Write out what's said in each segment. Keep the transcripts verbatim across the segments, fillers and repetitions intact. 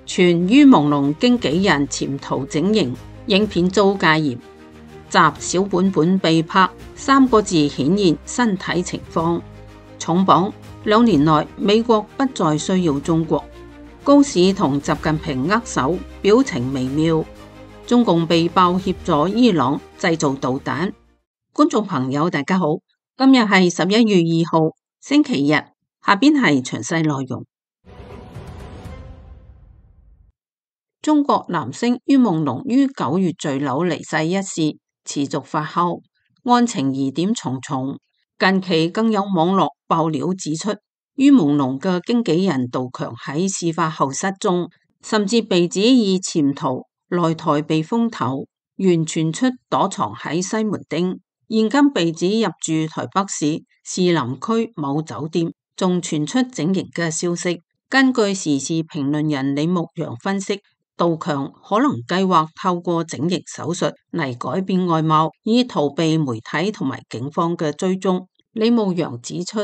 傳于朦朧經紀人潛逃整形，影片遭戒嚴。集小本本被拍三個字顯現身體情況。重磅兩年內美國不再需要中國。高市同習近平握手，表情微妙。中共被爆協助伊朗製造導彈。觀眾朋友大家好，今日係十一月二號星期日，下邊係詳細內容。中國男星于夢龍於九月墜樓離世一事持續發酵，案情疑點重重。近期更有網絡爆料指出，于夢龍嘅經紀人杜強喺事發後失蹤，甚至被指已潛逃來台避風頭，原傳出躲藏喺西門町，現今被指入住台北市士林區某酒店，仲傳出整形嘅消息。根據時事評論人李牧陽分析，杜強可能計劃透過整形手術嚟改變外貌，以逃避媒體同埋警方嘅追蹤。李牧陽指出，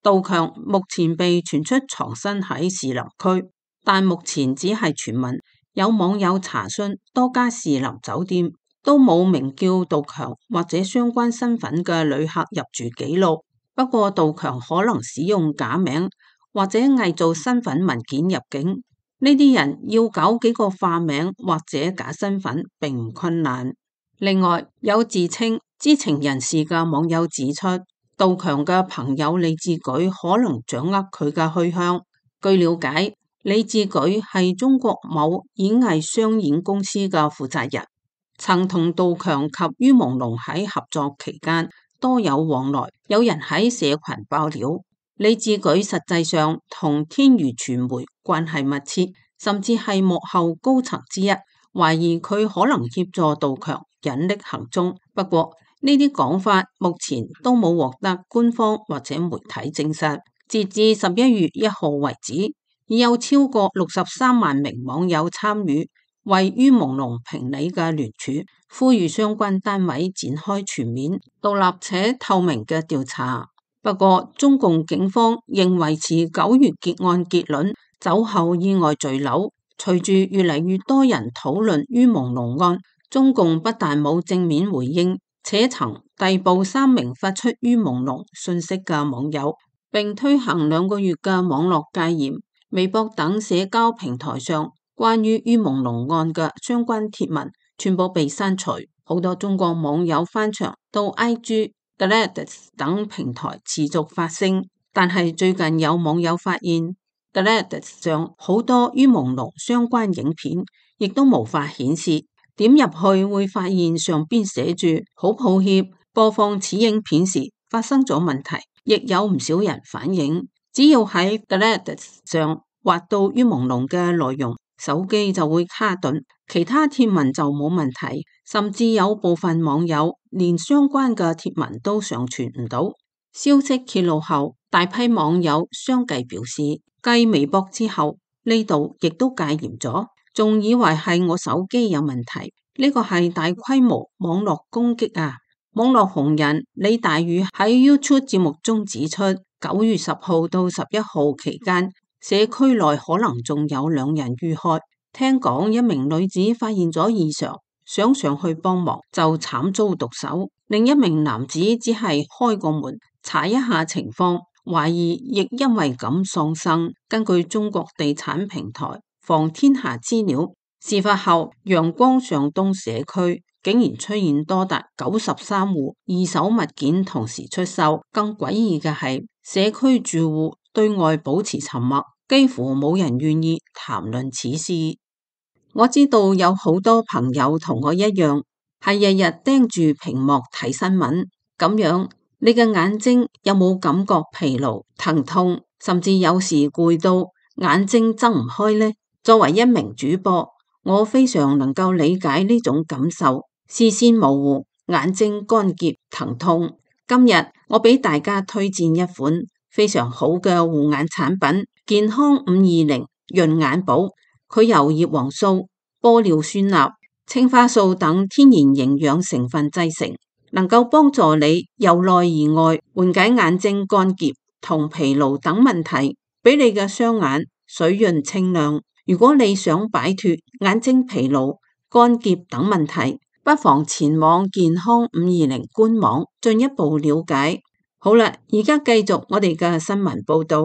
杜強目前被傳出藏身喺士林區，但目前只係傳聞。有網友查詢多家士林酒店，都冇名叫杜強或者相關身份嘅旅客入住記錄。不過杜強可能使用假名或者偽造身份文件入境。呢啲人要搞幾個化名或者假身份並唔困難。另外，有自稱知情人士嘅網友指出，杜強嘅朋友李志舉可能掌握佢嘅去向。據了解，李志舉係中國某演藝商演公司嘅負責人，曾同杜強及于夢龍喺合作期間多有往來。有人喺社群爆料，李志舉實際上同天娛傳媒關係密切，甚至係幕後高層之一，懷疑佢可能協助杜強隱匿行蹤。不過呢啲講法目前都冇獲得官方或者媒體證實。截至十一月一號為止，已有超過六十三萬名網友參與為于夢龍評理嘅聯署，呼籲相關單位展開全面、獨立且透明嘅調查。不過，中共警方仍維持九月結案結論，酒後意外墜樓。隨住越嚟越多人討論于夢龍案，中共不但冇正面回應，且曾逮捕三名發出于夢龍信息嘅網友，並推行兩個月嘅網絡戒嚴。微博等社交平台上關於于夢龍案嘅相關貼文全部被刪除。好多中國網友翻牆到 I G、Threads 等平台持續發聲，但係最近有網友發現 Threads 上好多于夢龍相關影片亦都無法顯示，點入去會發現上邊寫住好抱歉，播放此影片時發生咗問題。亦有唔少人反映，只要喺 Threads 上滑到于夢龍嘅內容，手機就會卡頓，其他貼文就冇問題。甚至有部分網友連相關嘅貼文都上傳唔到。消息揭露後，大批網友相繼表示，繼微博之後，呢度亦都戒嚴咗，仲以為係我手機有問題。呢個係大規模網絡攻擊啊！網絡紅人李大宇喺 YouTube 節目中指出，九月十號到十一號期間，社區內可能仲有兩人遇害。聽講一名女子發現咗異常，想上去幫忙就慘遭毒手。另一名男子只係開個門查一下情況，懷疑亦因為咁喪生。根據中國地產平台房天下資料，事發後陽光上東社區竟然出現多達九十三戶二手物件同時出售。更詭異嘅係，社區住戶對外保持沉默，幾乎冇人願意談論此事。我知道有好多朋友同我一樣，係日日盯住屏幕睇新聞，咁樣你嘅眼睛有冇感覺疲勞、疼痛，甚至有時攰到眼睛睜唔開呢？作為一名主播，我非常能夠理解呢種感受，視線模糊、眼睛乾澀、疼痛。今日我俾大家推薦一款非常好嘅護眼產品，健康五二零潤眼寶。佢由葉黃素、玻尿酸鈉、青花素等天然營養成分製成，能夠幫助你由內而外緩解眼睛乾澀同疲勞等問題，俾你嘅雙眼水潤清亮。如果你想擺脫眼睛疲勞、乾澀等問題，不妨前往健康五二零官網進一步了解。好啦，而家繼續我哋嘅新聞報道。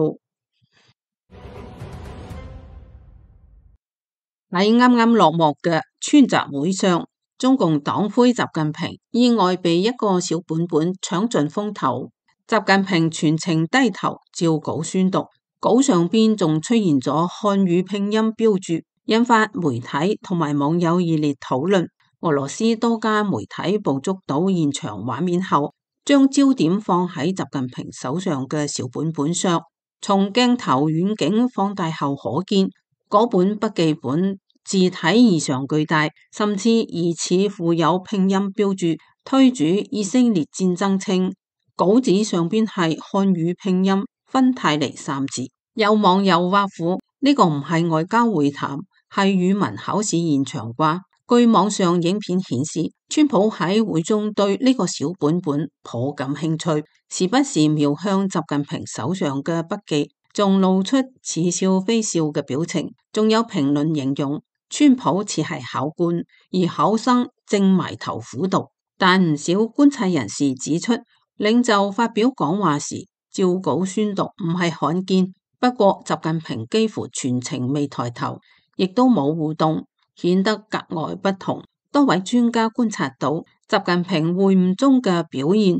喺啱啱落幕嘅川習會上，中共黨魁習近平意外被一個小本本搶盡風頭。習近平全程低頭照稿宣讀，稿上邊仲出現咗漢語拼音標注，引發媒體同埋網友熱烈討論。俄羅斯多家媒體捕捉到現場畫面後，將焦點放喺習近平手上嘅小本本上。從鏡頭遠景放大後可見，嗰本筆記本字體異常巨大，甚至疑似附有拼音標注，推主以色列戰爭稱。稿紙上邊係漢語拼音芬太尼三字。有網友挖苦呢個唔係外交會談，係語文考試現場啩。據網上影片顯示，川普喺會中對呢個小本本頗感興趣，時不時瞄向習近平手上嘅筆記，仲露出似笑非笑嘅表情。仲有評論形容川普似係考官，而考生正埋頭苦讀。但唔少觀察人士指出，領袖發表講話時照稿宣讀唔係罕見，不過習近平幾乎全程未抬頭，亦都冇互動，顯得格外不同。多位專家觀察到，習近平會晤中嘅表現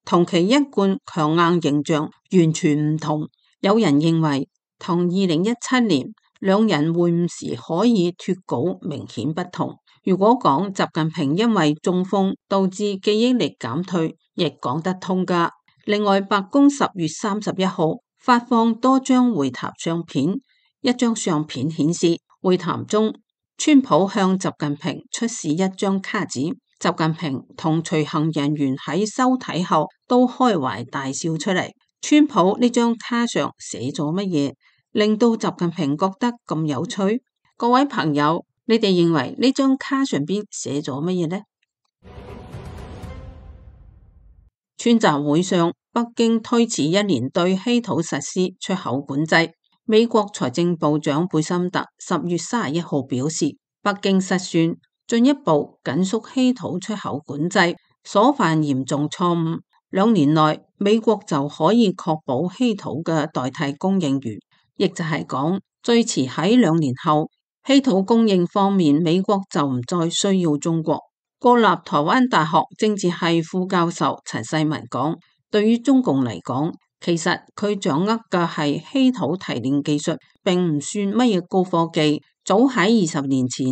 同其一貫強硬形象完全唔同。有人認為，同二零一七年兩人會晤時可以脫稿明顯不同。如果講習近平因為中風導致記憶力減退，亦講得通㗎。另外，白宮十月三十一號發放多張會談相片，一張相片顯示會談中，川普向習近平出示一張卡紙，習近平同隨行人員喺收睇後都開懷大笑出嚟。川普呢張卡上寫咗乜嘢，令到習近平覺得咁有趣？各位朋友，你哋認為呢張卡上邊寫咗乜嘢呢？川習會上，北京推遲一年對稀土實施出口管制。美國財政部長貝森特十月三十一號表示，北京失算，進一步緊縮稀土出口管制，所犯嚴重錯誤。兩年內，美國就可以確保稀土嘅代替供應源，亦就係講，最遲喺兩年後，稀土供應方面，美國就唔再需要中國。國立台灣大學政治系副教授陳世文講，對於中共嚟講，其實佢掌握嘅係稀土提煉技術，並唔算乜嘢高科技。早喺二十年前，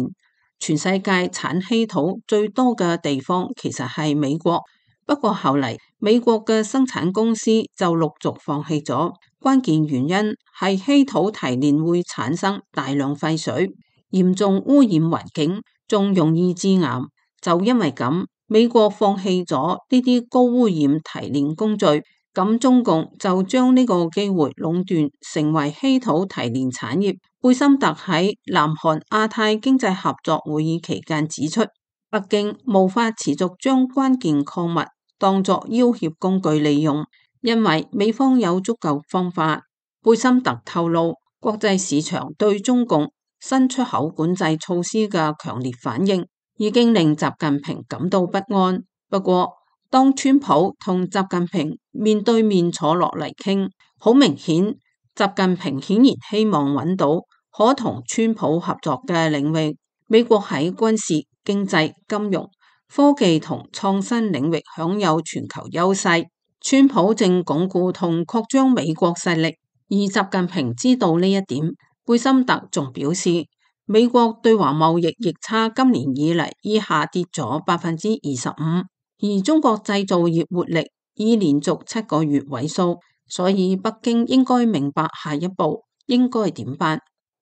全世界產稀土最多嘅地方其實係美國。不過後嚟，美國嘅生產公司就陸續放棄咗，關鍵原因係稀土提煉會產生大量廢水，嚴重污染環境，仲容易致癌。就因為咁，美國放棄咗呢啲高污染提煉工序，咁中共就將呢個機會壟斷，成為稀土提煉產業。貝森特喺南韓亞太經濟合作會議期間指出，北京無法持續將關鍵礦物當作要挾工具利用，因為美方有足夠方法。貝森特透露，國際市場對中共新出口管制措施嘅強烈反應，已經令習近平感到不安。不過，當川普同習近平面對面坐落嚟傾，好明顯，習近平顯然希望揾到可同川普合作嘅領域。美國喺軍事、經濟、金融、科技同創新領域享有全球優勢，川普正鞏固同擴張美國勢力，而習近平知道呢一點。貝森特仲表示，美國對華貿易逆差今年以嚟已下跌咗百分之二十五，而中國製造業活力已連續七個月萎縮，所以北京應該明白下一步應該點辦。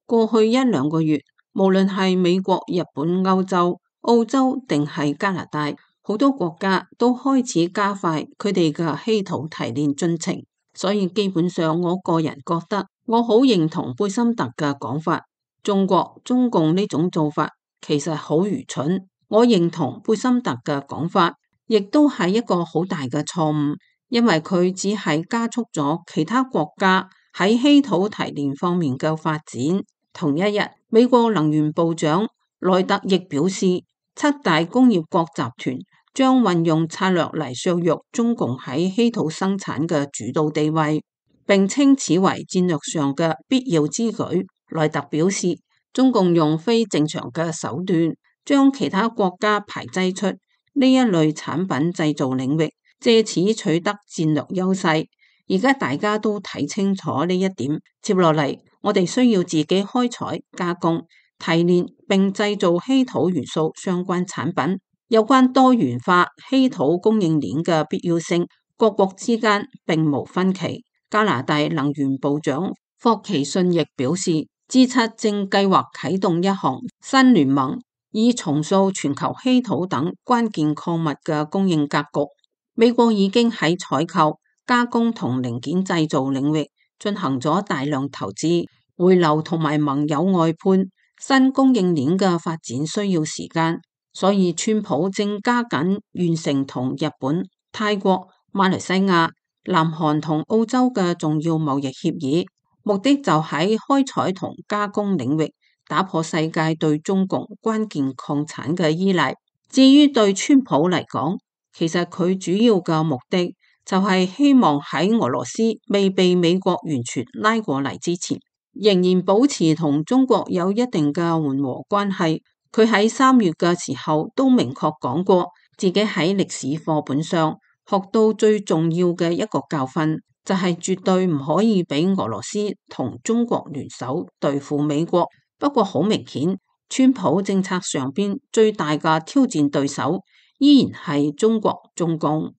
過去一兩個月，無論係美國、日本、歐洲、澳洲定係加拿大，好多國家都開始加快佢哋嘅稀土提煉進程。所以基本上，我個人覺得我好認同貝森特嘅講法，中國中共呢種做法其實好愚蠢。我認同貝森特嘅講法，亦都係一個好大嘅錯誤，因為佢只係加速咗其他國家喺稀土提煉方面嘅發展。同一日，美國能源部長萊特亦表示，七大工業國集團將運用策略嚟削弱中共喺稀土生產嘅主導地位，並稱此為戰略上嘅必要之舉。萊特表示，中共用非正常嘅手段將其他國家排擠出呢一類產品製造領域，借此取得戰略優勢。而家大家都睇清楚呢一點，接落嚟我哋需要自己開採、加工、提煉並製造稀土元素相關產品。有關多元化稀土供應鏈嘅必要性，各國之間並無分歧。加拿大能源部長霍奇遜亦表示，G 七正計劃啟動一項新聯盟，以重塑全球稀土等關鍵礦物嘅供應格局。美國已經喺採購、加工同零件製造領域進行咗大量投資、回流同埋盟友外判。新供應鏈嘅發展需要時間，所以川普正加緊完成同日本、泰國、馬來西亞、南韓同澳洲嘅重要貿易協議，目的就喺開採同加工領域打破世界對中共關鍵礦產嘅依賴。至於對川普嚟講，其實佢主要嘅目的就係希望喺俄羅斯未被美國完全拉過嚟之前，仍然保持同中國有一定嘅緩和關係。佢喺三月嘅時候都明確講過，自己喺歷史課本上學到最重要嘅一個教訓，就係絕對唔可以俾俄羅斯同中國聯手對付美國。不過好明顯，川普政策上邊最大嘅挑戰對手依然係中國中共。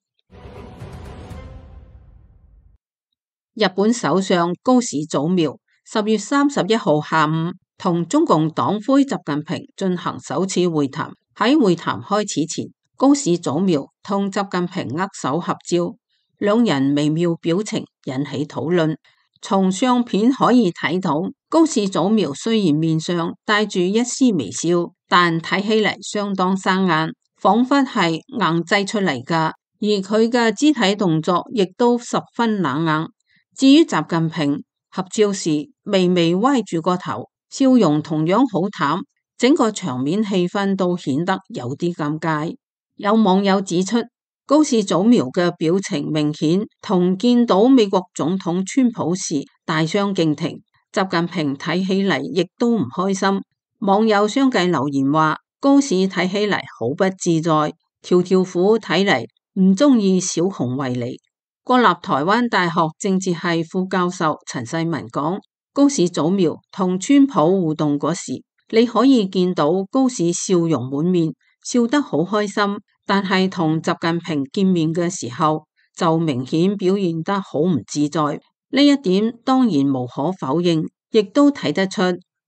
日本首相高市早苗十月三十一號下午同中共黨魁習近平進行首次會談。喺會談開始前，高市早苗同習近平握手合照，兩人微妙表情引起討論。從相片可以睇到，高市早苗雖然面上帶住一絲微笑，但睇起嚟相當生硬，仿佛係硬製出嚟㗎。而佢嘅肢體動作亦都十分冷硬。至於習近平，合照時微微歪住個頭，笑容同樣好淡，整個場面氣氛都顯得有啲尷尬。有網友指出，高市早苗嘅表情明顯同見到美國總統川普時大相徑庭，習近平睇起嚟亦都唔開心。網友相繼留言話，高市睇起嚟好不自在，條條褲睇嚟唔中意小熊維尼。國立台灣大學政治系副教授陳世文講，高市早苗同川普互動嗰時，你可以見到高市笑容滿面，笑得好開心，但係同習近平見面嘅時候就明顯表現得好唔自在。呢一點當然無可否認，亦都睇得出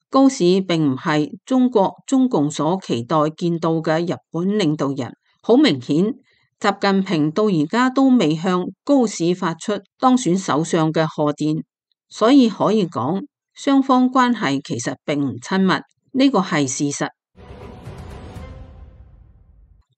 高市並唔係中國中共所期待見到嘅日本領導人。好明顯，習近平到而家都未向高市發出當選首相嘅賀電，所以可以講雙方關係其實並唔親密，呢個係事實。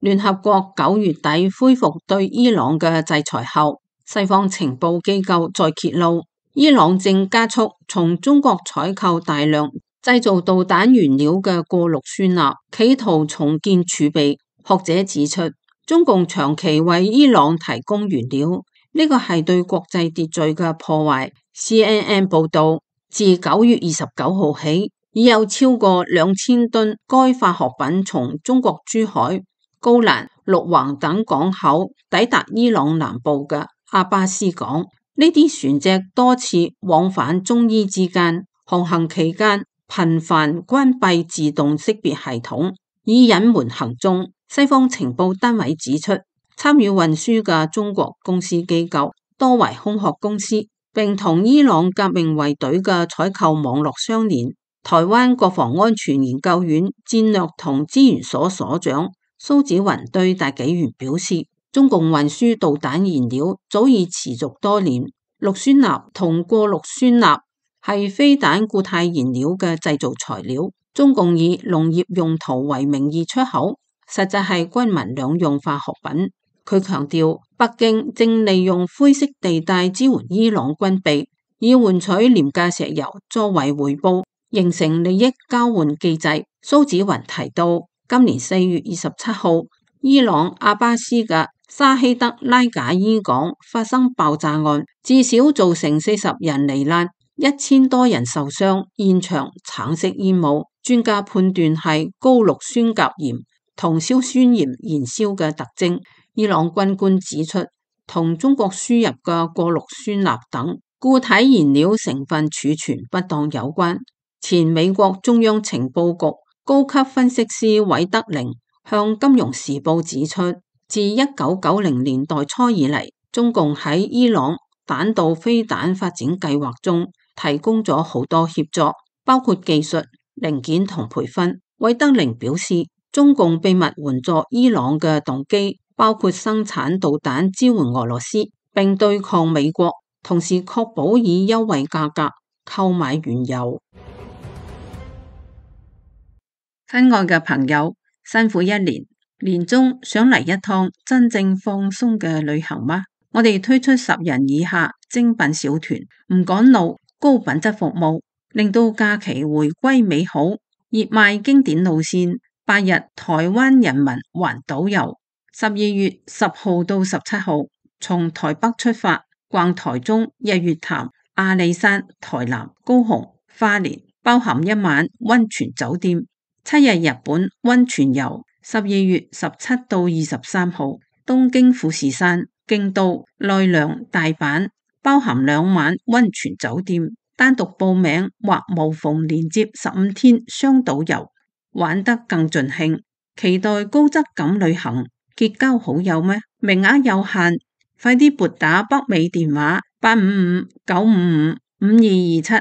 聯合國九月底恢復對伊朗嘅制裁後，西方情報機構再揭露，伊朗正加速從中國採購大量製造導彈原料嘅過氯酸鈉，企圖重建儲備。學者指出，中共長期為伊朗提供原料，呢個係對國際秩序嘅破壞。C N N 報道，自九月二十九號起，已有超過兩千噸該化學品從中國珠海、高蘭、陸橫等港口抵達伊朗南部嘅阿巴斯港。呢啲船隻多次往返中伊之間，航行期間頻繁關閉自動識別系統，以隱瞞行蹤。西方情報單位指出，參與運輸嘅中國公司機構多為空殼公司，並同伊朗革命衛隊嘅採購網絡相連。台灣國防安全研究院戰略同資源所所長蘇紫雲對大紀元表示，中共運輸導彈燃料早已持續多年，氯酸鈉同過氯酸鈉係飛彈固態燃料嘅製造材料，中共以農業用途為名義出口，實際係軍民兩用化學品。佢強調，北京正利用灰色地帶支援伊朗軍備，以換取廉價石油作為回報。形成利益交換機制。蘇紫雲提到，今年四月二十七號，伊朗阿巴斯嘅沙希德拉賈伊港發生爆炸案，至少造成四十人罹難，一千多人受傷，現場橙色煙霧，專家判斷係高氯酸鉀鹽同硝酸鹽燃燒嘅特徵。伊朗軍官指出，同中國輸入嘅過氯酸鈉等固體燃料成分儲存不當有關。前美國中央情報局高級分析師韋德寧向《金融時報》指出，自一九九零年代初以嚟，中共喺伊朗彈道飛彈發展計劃中提供咗好多協助，包括技術、零件同培訓。韋德寧表示，中共秘密援助伊朗嘅動機包括生產導彈支援俄羅斯，並對抗美國，同時確保以優惠價格購買原油。親愛嘅朋友，辛苦一年，年終想嚟一趟真正放鬆嘅旅行嗎？我哋推出十人以下精品小團，唔趕路，高品質服務，令到假期回歸美好。熱賣經典路線，八日台灣人民環島遊，十二月十號到十七號，從台北出發，逛台中、日月潭、阿里山、台南、高雄、花蓮，包含一晚溫泉酒店。七日日本溫泉遊，十二月十七到二十三號，東京富士山、京都、奈良、大阪，包含兩晚溫泉酒店。單獨報名或無縫連接十五天雙島遊，玩得更盡興。期待高質感旅行，結交好友咩？名額有限，快啲撥打北美電話八五五九五五五二二七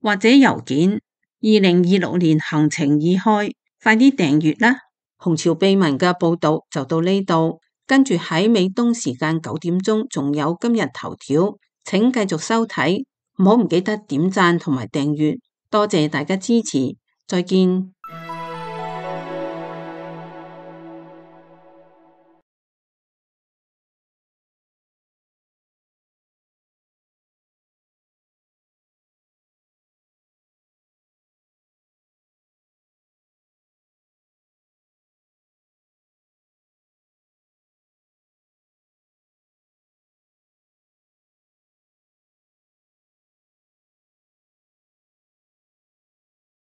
或者郵件。二零二六年行程已開，快啲訂閱啦！紅潮秘聞嘅報道就到呢度，跟住喺美東時間九點鐘仲有今日頭條，請繼續收睇，唔好唔記得點讚同埋訂閱，多謝大家支持，再見。